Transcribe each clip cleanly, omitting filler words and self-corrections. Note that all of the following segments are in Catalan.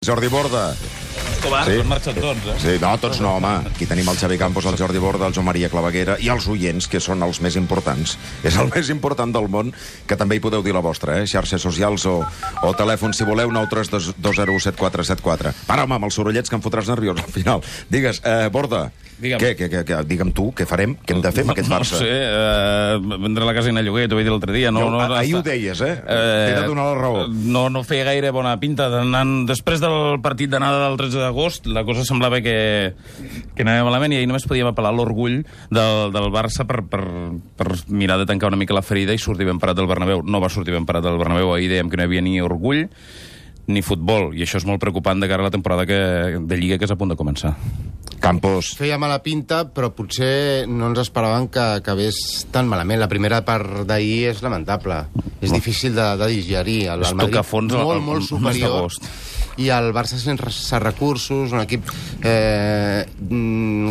Jordi Borda. Escobar, sí. Marxen tots, eh? Sí, no, tots no, home. Aquí tenim el Xavi Campos, el Jordi Borda, el Joan Maria Claveguera i els oients, que són els més importants. És el més important del món, que també hi podeu dir la vostra, eh? Xarxes socials o telèfon, si voleu, 932017474. Para, home, amb els sorollets que em fotràs nerviós al final. Digues, Borda, digue'm tu, què farem? Què hem de fer amb aquest Barça? No sé, vendre la casa a lloguer, t'ho vaig dir l'altre dia. Ahir ho deies, eh? T'he de donar la raó. No feia gaire bona pinta. Després del partit d'anada del 13 d'agost, la cosa semblava que anava malament i ahir només podíem apel·lar l'orgull del Barça per mirar de tancar una mica la ferida i sortir ben parat del Bernabéu. No va sortir ben parat del Bernabéu. Ahir dèiem que no hi havia ni orgull ni futbol, i això és molt preocupant de cara a la temporada de Lliga que és a punt de començar. Campos. Feia mala pinta, però potser no ens esperaven que acabés tan malament. La primera part d'ahir és lamentable. És difícil de digerir. El Madrid molt superior. I el Barça sense recursos, un equip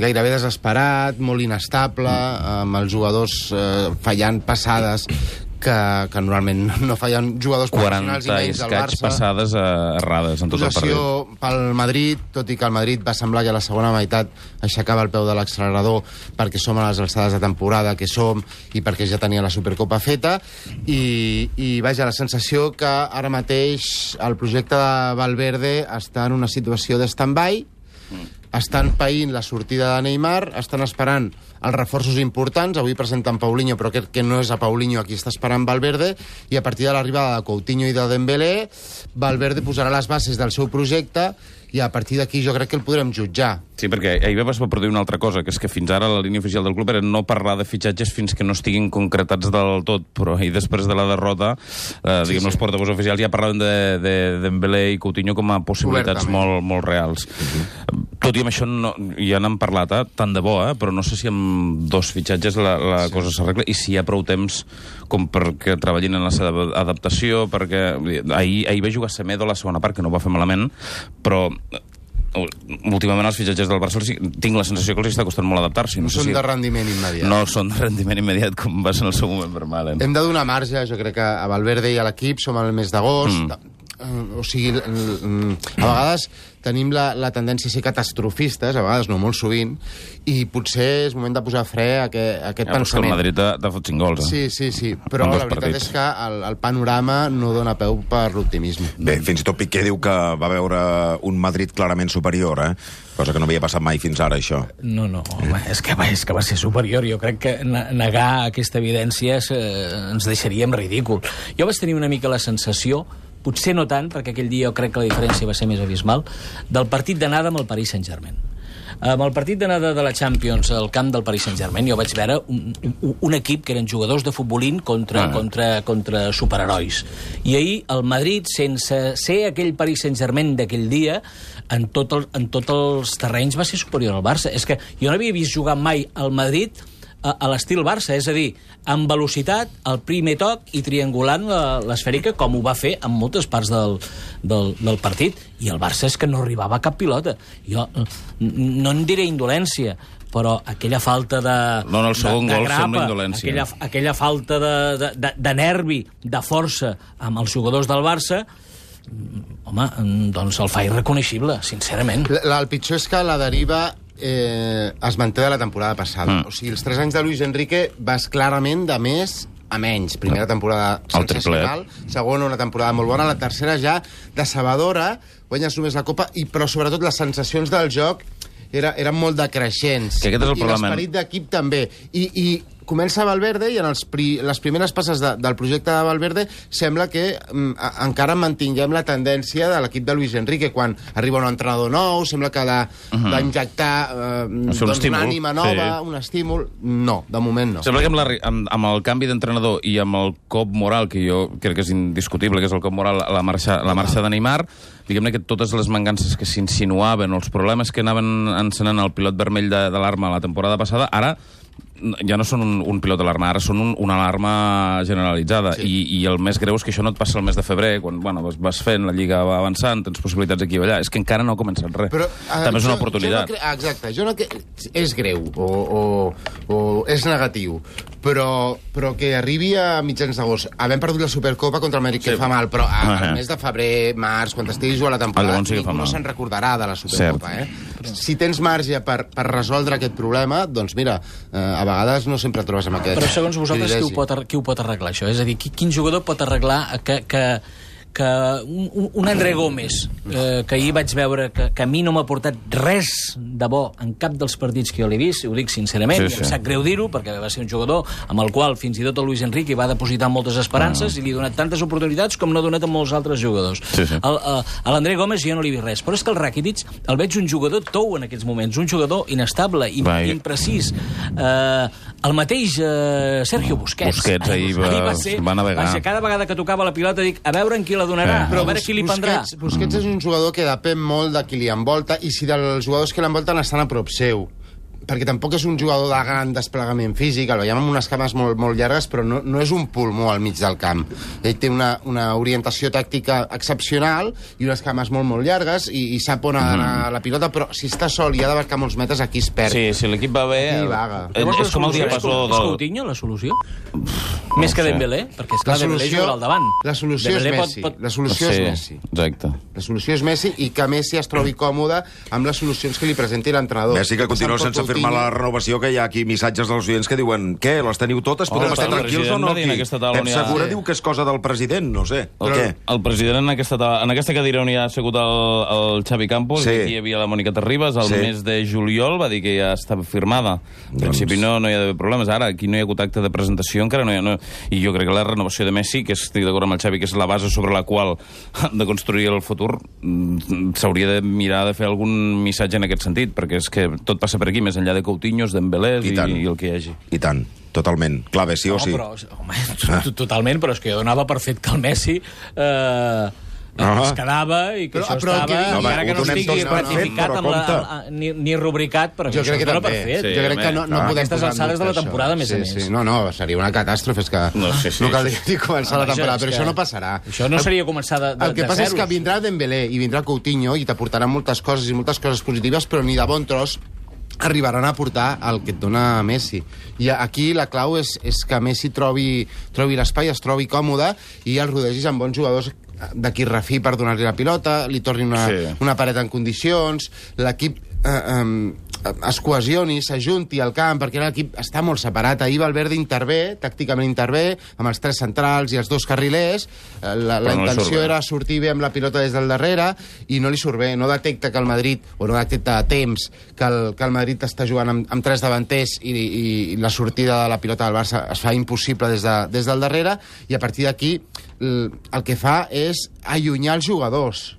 gairebé desesperat, molt inestable, amb els jugadors fallant passades que normalment no fallen jugadors professionals i menys del Barça. 40 passades errades en tot el partit. Pel Madrid, tot i que el Madrid va semblar que a la segona meitat aixecava el peu de l'accelerador perquè som a les alçades de temporada que som i perquè ja tenia la Supercopa feta i vaja, la sensació que ara mateix el projecte de Valverde està en una situació de stand-by, estan païnt la sortida de Neymar, estan esperant els reforços importants. Avui presenten Paulinho, però crec que no és a Paulinho aquí està esperant Valverde, i a partir de l'arribada de Coutinho i de Dembélé, Valverde posarà les bases del seu projecte i a partir d'aquí jo crec que el podrem jutjar. Sí, perquè ahir es va produir una altra cosa, que és que fins ara la línia oficial del club era no parlar de fitxatges fins que no estiguin concretats del tot, però ahir després de la derrota, els portavols oficials ja parlaven de Dembélé i Coutinho com a possibilitats molt reals. Tot i amb això ja n'han parlat, tant de bo, però no sé si amb dos fitxatges la cosa s'arregla i si hi ha prou temps com perquè treballin en la seva adaptació, perquè ahir va jugar Semedo a la segona part, que no va fer malament, però últimament els fitxatges del Barça tinc la sensació que els està costant molt adaptar-s'hi. No són de rendiment immediat. No són de rendiment immediat com va ser en el seu moment per Malen. Hem de donar marge, jo crec que a Valverde i a l'equip som al mes d'agost. O sigui, a vegades tenim la tendència a ser catastrofistes, a vegades no, molt sovint, i potser és moment de posar fre a aquest pensament. És que el Madrid t'ha fot 5 gols, Sí, però la veritat és que el panorama no dona peu per l'optimisme. Bé, fins i tot Piqué diu que va veure un Madrid clarament superior, cosa que no havia passat mai fins ara, això. No, home, és que va ser superior. Jo crec que negar aquesta evidència ens deixaria en ridícul. Jo vaig tenir una mica la sensació, potser no tant, perquè aquell dia jo crec que la diferència va ser més abismal, del partit d'anada amb el Paris Saint-Germain. Amb el partit d'anada de la Champions al camp del Paris Saint-Germain jo vaig veure un equip que eren jugadors de futbolín contra superherois. I ahir el Madrid, sense ser aquell Paris Saint-Germain d'aquell dia, en tots els terrenys va ser superior al Barça. És que jo no havia vist jugar mai al Madrid a l'estil Barça, és a dir, amb velocitat, al primer toc i triangulant l'esfèrica, com ho va fer en moltes parts del partit. I el Barça és que no arribava a cap pilota. Jo no en diré indolència, però aquella falta de el segon gol sembla indolència. Aquella falta de nervi, de força amb els jugadors del Barça, home, doncs el fa irreconeixible, sincerament. El pitjor és que la deriva es manté de la temporada passada. O sigui, els 3 anys de Luis Enrique vas clarament de més a menys. Primera temporada sensacional, segona una temporada molt bona, la tercera ja decebedora, guanyes només la Copa, però sobretot les sensacions del joc eren molt decreixents. Que aquest és el problema. I l'esperit d'equip també. I comença Valverde i en les primeres passes del projecte de Valverde sembla que encara mantinguem la tendència de l'equip de Luis Enrique. Quan arriba un entrenador nou, sembla que d'injectar una ànima nova, un estímul. No, de moment no. Sembla que amb el canvi d'entrenador i amb el cop moral, que jo crec que és indiscutible, que és el cop moral a la marxa de Neymar, diguem-ne que totes les mancances que s'insinuaven o els problemes que anaven encenant el pilot vermell de l'arma la temporada passada, ara ja no són un pilot d'alarma, ara són una alarma generalitzada. I el més greu és que això no et passa el mes de febrer, quan vas fent, la Lliga va avançant, tens possibilitats aquí o allà. És que encara no ha començat res. Però, també és una oportunitat. Exacte. És greu o és negatiu, però que arribi a mitjans d'agost, havent perdut la Supercopa contra el Madrid, que fa mal, però al mes de febrer, març, quan estigui jugant la temporada, no se'n recordarà de la Supercopa. Si tens marge per resoldre aquest problema, doncs mira, a vegades no sempre trobes amb aquest... Però segons vosaltres, qui ho pot arreglar, això? És a dir, quin jugador pot arreglar que un André Gómez, que ahir vaig veure que a mi no m'ha portat res de bo en cap dels partits que jo l'he vist, ho dic sincerament, i em sap greu dir-ho, perquè va ser un jugador amb el qual fins i tot el Luis Enrique va depositar moltes esperances i li ha donat tantes oportunitats com no ha donat a molts altres jugadors. A l'André Gómez jo no li he vist res, però és que el Rakitic el veig un jugador tou en aquests moments, un jugador inestable, imprecís. El mateix Sergio Busquets ahir va navegar. Cada vegada que tocava la pilota dic, a veure en qui la donarà, a veure qui li prendrà. Busquets és un jugador que depèn molt de qui li envolta i si dels jugadors que l'envolten estan a prop seu, perquè tampoc és un jugador de gran desplegament físic, el veiem amb unes cames molt llargues, però no és un pulmó al mig del camp. Ell té una orientació tàctica excepcional i unes cames molt llargues i sap on ha d'anar la pilota, però si està sol i ha d'abarcar molts metres, aquí es perd. Sí, si l'equip va bé... És com el diapasó del... És Coutinho, la solució? Més que Dembélé? Perquè, esclar, Dembélé juga al davant. La solució és Messi. La solució és Messi. Exacte. La solució és Messi i que Messi es trobi còmode amb les solucions que li presenti l'entrenador. Messi que continua sense firmar la renovació, que hi ha aquí missatges dels oients que diuen què, les teniu totes? Podem estar tranquils o no? Pep Segura diu que és cosa del president, no sé. El president en aquesta cadira on hi ha assegut el Xavi Campos, aquí hi havia la Mònica Terribas, el mes de juliol va dir que ja estava firmada. En principi no hi ha d'haver problemes. Ara, aquí no hi ha hagut acte de presentació, encara no hi ha... I jo crec que la renovació de Messi, que estic d'acord amb el Xavi, que és la base sobre la qual de construir el futur, s'hauria de mirar de fer algun missatge en aquest sentit, perquè és que tot passa per aquí, més enllà de Coutinhos, Dembélé i el que hi hagi. I tant, totalment. Clar, bé, sí o sí. Totalment, però és que jo donava per fet que el Messi... es quedava i que això estava... Encara que no estigui ratificat ni rubricat, però jo crec que dona per fet. Jo crec que no podem aquestes alçades de la temporada, a més a més. No, seria una catàstrofe, és que no caldria ni començar la temporada, però això no passarà. Això no seria començar de zeros. El que passa és que vindrà Dembélé i vindrà Coutinho i t'aportaran moltes coses i moltes coses positives, però ni de bon tros arribaran a portar el que et dona Messi. I aquí la clau és que Messi trobi l'espai, es trobi còmode i el rodegis amb bons jugadors d'aquí refí per donar-li la pilota, li torni una paret en condicions, l'equip es cohesioni, s'ajunti al camp, perquè l'equip està molt separat. Ahir Valverde tàcticament intervé, amb els 3 centrals i els 2 carrilers. La intenció era sortir bé amb la pilota des del darrere i no li surt bé. No detecta que el Madrid, o no detecta a temps que el Madrid està jugant amb 3 davanters i la sortida de la pilota del Barça es fa impossible des del darrere, i a partir d'aquí el que fa és allunyar els jugadors.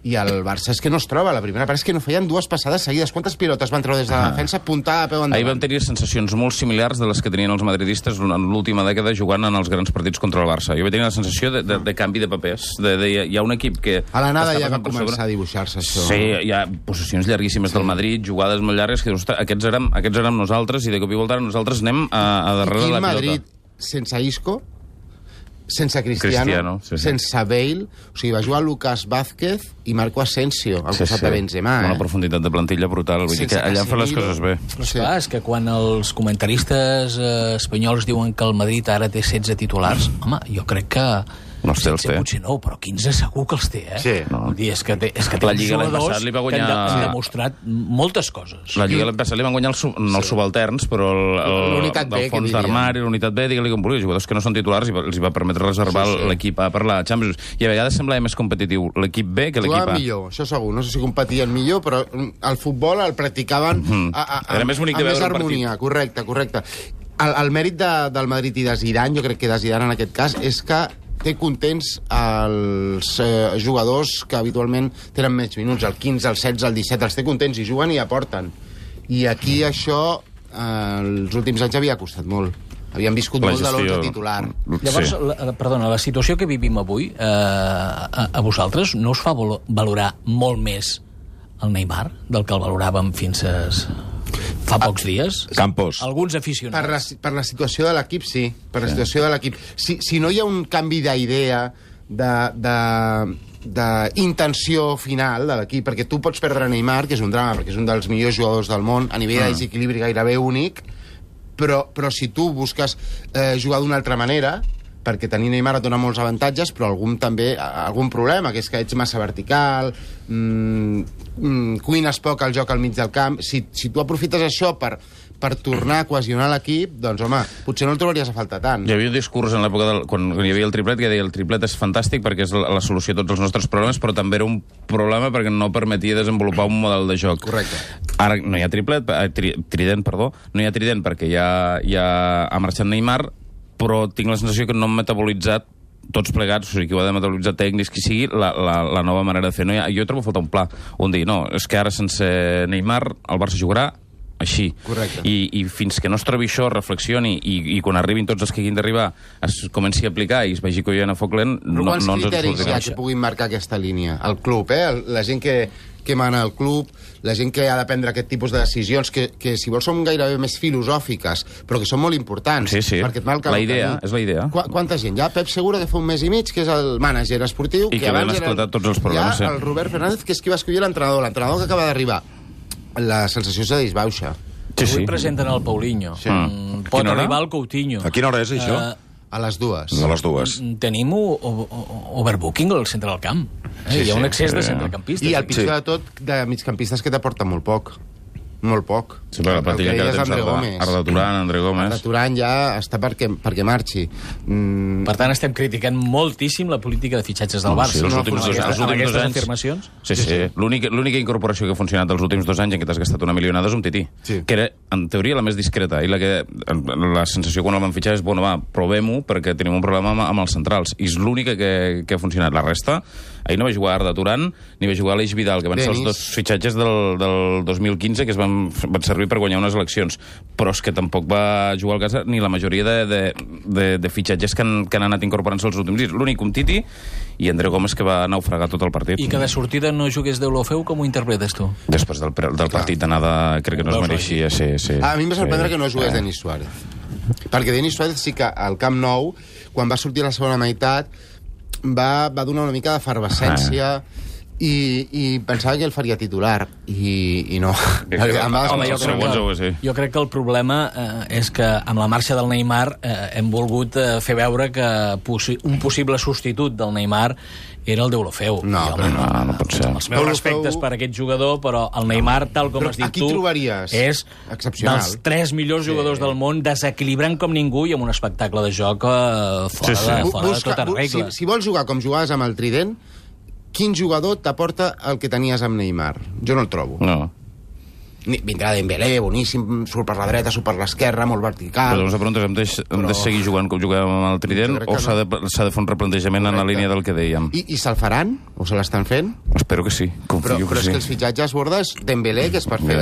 I el Barça és que no es troba. La primera part és que no feien 2 passades seguides. Quantes pilotes van treure des de la defensa apuntada a peu endavant? Ahir vam tenir sensacions molt similars de les que tenien els madridistes en l'última dècada jugant en els grans partits contra el Barça. Jo vaig tenir la sensació de canvi de papers. Hi ha un equip que... A l'anada ja va començar a dibuixar-se això. Sí, hi ha possessions llarguíssimes del Madrid, jugades molt llargues, que aquests érem nosaltres, i de cop i volta nosaltres anem a darrere de la pilota. Madrid sense Isco, sense Cristiano, sense Bale, o sigui, va jugar Lucas Vázquez i Marco Asensio al costat de Benzema. Una profunditat de plantilla brutal, vull dir que allà fan les coses bé. Però clar, és que quan els comentaristes espanyols diuen que el Madrid ara té 16 titulars, home, jo crec que... No els té. Potser no, però 15 segur que els té, eh? Sí. Vull dir, és que té la Lliga l'any passat li va guanyar... que han demostrat moltes coses. La Lliga l'any passat li van guanyar els subalterns, però el fons d'armari, l'unitat B, digue-li com vulgui, jugadors que no són titulars, els hi va permetre reservar l'equip A per la Champions. I a vegades semblava més competitiu l'equip B que l'equip A. Jugaven millor, això segur. No sé si competien millor, però el futbol el practicaven era més bonic de veure un harmonia. Correcte. El mèrit del Madrid i de Zidane, jo crec que de Zidane en aquest cas, és que té contents els jugadors que habitualment tenen menys minuts, el 15, el 16, el 17, els té contents i juguen i aporten. I aquí això, els últims anys havia costat molt. Havien viscut molt de l'11 titular. Llavors, perdona, la situació que vivim avui, a vosaltres, no us fa valorar molt més el Neymar del que el valoràvem fins Fa pocs dies. Campos. Alguns aficionats. Per la situació de l'equip, sí. Per la situació de l'equip. Si no hi ha un canvi d'idea, d'intenció final de l'equip, perquè tu pots perdre Neymar, que és un drama, perquè és un dels millors jugadors del món, a nivell de desequilibri gairebé únic, però si tu busques jugar d'una altra manera, perquè tenir Neymar et dona molts avantatges, però algun problema, que és que ets massa vertical, cuines poc el joc al mig del camp. Si tu aprofites això per tornar a cohesionar l'equip, doncs, home, potser no el trobaries a faltar tant. Hi havia un discurs en l'època quan hi havia el triplet que deia el triplet és fantàstic perquè és la solució a tots els nostres problemes, però també era un problema perquè no permetia desenvolupar un model de joc. Correcte. Ara no hi ha trident, no hi ha trident perquè ja ha marxat Neymar, però tinc la sensació que no han metabolitzat tots plegats, o sigui, que ho ha de metabolitzar tècnics, qui sigui, la nova manera de fer. Jo trobo a faltar un pla, on dir, no, és que ara sense Neymar el Barça jugarà així. Correcte. I fins que no es trobi això, reflexioni, i quan arribin tots els que hagin d'arribar es comenci a aplicar i es vegi que hi ha a foc lent, no ens en criteris hi ha que puguin marcar aquesta línia? El club, la gent que mana el club, la gent que ha de prendre aquest tipus de decisions, que si vols són gairebé més filosòfiques, però que són molt importants. Sí. Perquè et marca la idea, és la idea. Quanta gent? Hi ha Pep Segura, de fa un mes i mig, que és el mànager esportiu, i que abans han esclatat tots els problemes. Hi ha el Robert Fernández, que és qui va escollir l'entrenador que acaba d'arribar. La sensació és de disbauxa. Avui presenten el Paulinho. Pot arribar el Coutinho. A quina hora és, això? A les 2. A les 2. Tenim overbooking al centre del camp. Hi ha un excés de centrecampistes. I el pitjor de tot, de migcampistes que t'aporta molt poc. Molt poc. Sí, però la plantilla que tens Arda Turan, André Gómez... Arda Turan ja està perquè marxi. Per tant, estem criticant moltíssim la política de fitxatges del Barça. Sí, els últims 2 anys... afirmacions. Sí. L'única incorporació que ha funcionat els últims 2 anys en què t'has gastat una milionada és un tití, que era, en teoria, la més discreta, i la sensació quan el van fitxar és, bueno, va, provem-ho perquè tenim un problema amb els centrals. I és l'única que ha funcionat. La resta, ahir no va jugar Arda Turan, ni va jugar Aleix Vidal, que van ser els 2 fitxatges del 2015 que van servir per guanyar unes eleccions, però és que tampoc va jugar al casa ni la majoria de fitxatges que han anat incorporant-se els últims dies. L'únic un Titi i André Gómez, que va naufragar tot el partit. I que de sortida no jugués d'Eulofeu, com ho interpretes tu? Després del partit d'anada crec que no es mereixia. Sí. A mi em va sorprendre que no jugués Denis Suárez, perquè Denis Suárez sí que al Camp Nou, quan va sortir a la segona meitat, va donar una mica d'efervescència i pensava que el faria titular i no. Jo crec que el problema és que amb la marxa del Neymar hem volgut fer veure que un possible substitut del Neymar era el d'Eulofeu. No pot ser. Els meus respectes per aquest jugador, però el Neymar, tal com has dit tu, és dels 3 millors jugadors del món, desequilibrant com ningú i amb un espectacle de joc fora de tota regla. Si vols jugar com jugaves amb el Trident, quin jugador t'aporta el que tenies amb Neymar? Jo no el trobo. No. Vindrà Dembélé, boníssim, surt per la dreta, surt per l'esquerra, molt vertical... Però la pregunta és, hem de seguir jugant com jugàvem amb el Trident o s'ha de fer un replantejament en la línia del que dèiem? I se'l faran? O se l'estan fent? Espero que sí, confio que sí. Però és que els fitxatges bordes, Dembélé, que és per fer...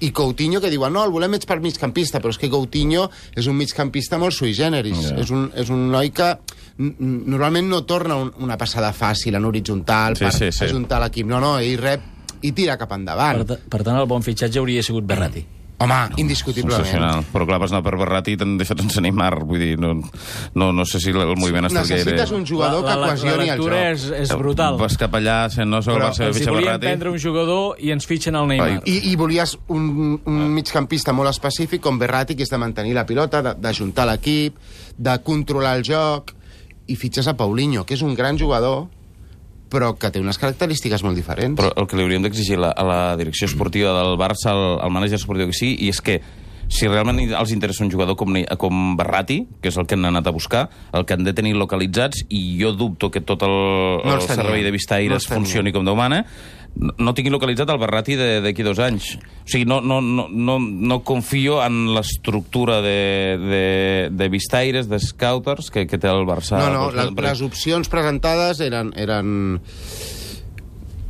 I Coutinho, que diuen, no, el volem ets per migcampista, però és que Coutinho és un migcampista molt sui generis. És un noi que normalment no torna una passada fàcil en horitzontal per ajuntar l'equip. No, ell rep i tira cap endavant. Per tant, el bon fitxatge hauria sigut Berratti. Home, indiscutiblement. Però clar, vas anar per Berratti i t'han deixat sense Neymar. Vull dir, no sé si el moviment està gaire... Necessites un jugador que cohesioni el joc. La lectura és brutal. Vas cap allà, no sé com va ser fitxar Berratti. Si volíem prendre un jugador i ens fitxen el Neymar. I volies un migcampista molt específic com Berratti, que és de mantenir la pilota, d'ajuntar l'equip, de controlar el joc, i fitxes a Paulinho, que és un gran jugador, però que té unes característiques molt diferents. Però el que li hauríem d'exigir a la direcció esportiva del Barça, al mànager esportiu que sí, i és que si realment els interessa un jugador com Berratti, que és el que han anat a buscar, el que han de tenir localitzats, i jo dubto que tot el servei de vistaires funcioni com Déu mana, no tingui localitzat el Berratti d'aquí 2 anys. O sigui, no confio en l'estructura de vistaires, de scouters que té el Barça. No, les opcions presentades eren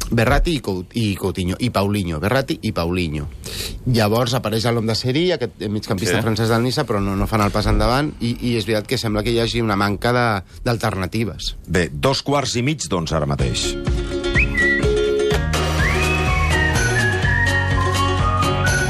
Berratti i Coutinho, i Paulinho. Berratti i Paulinho. Llavors apareix l'home de Seri, aquest migcampista francès del Niça, però no fan el pas endavant, i és veritat que sembla que hi hagi una manca d'alternatives. Bé, 2:15, doncs, ara mateix.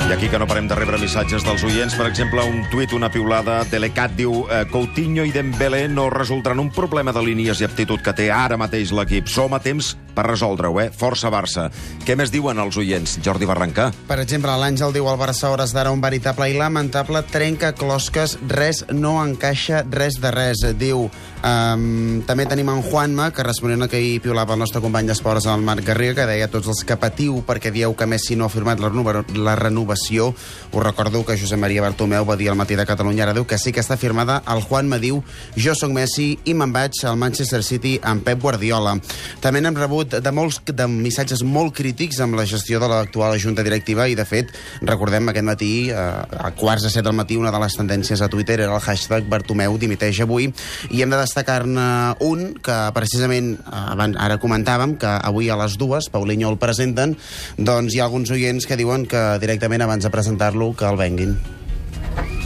I aquí que no parem de rebre missatges dels oients. Per exemple, un tuit, una piulada de l'ECAT diu Coutinho i Dembélé no resoldran un problema de línies i aptitud que té ara mateix l'equip. Som a temps per resoldre-ho, Força Barça. Què més diuen els oients? Jordi Barrancà. Per exemple, l'Àngel diu al Barça hores d'ara un veritable i lamentable trenca-closques, res no encaixa, res de res. Diu, també tenim en Juanma, que responent a que hi piulava el nostre company d'esports, el Marc Garriga, que deia tots els que patiu perquè dieu que Messi no ha firmat la renovació. Us recordo que Josep Maria Bartomeu va dir al Matí de Catalunya, ara diu que sí que està firmada. El Juanma diu, jo sóc Messi i me'n vaig al Manchester City amb Pep Guardiola. També n'hem rebut de missatges molt crítics amb la gestió de l'actual junta directiva i, de fet, recordem aquest matí, a 6:45 del matí, una de les tendències a Twitter era el hashtag Bartomeu dimiteix avui, i hem de destacar-ne un que precisament ara comentàvem que avui a les 2, Paulinho el presenten, doncs hi ha alguns oients que diuen que directament abans de presentar-lo que el venguin.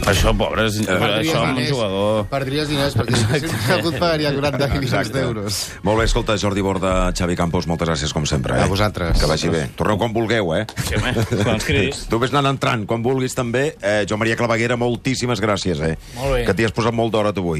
Això, pobres, això amb un jugador... Perdries diners, perquè si algú et pagaria 40 milions d'euros. Molt bé, escolta, Jordi Borda, Xavi Campos, moltes gràcies com sempre. A vosaltres. Que vagi bé. Torneu quan vulgueu, Sí, home, quan ens cridis. Tu vés anant entrant, quan vulguis també. Joan Maria Claveguera, moltíssimes gràcies, Molt bé. Que t'hi has posat molt d'hora tu avui.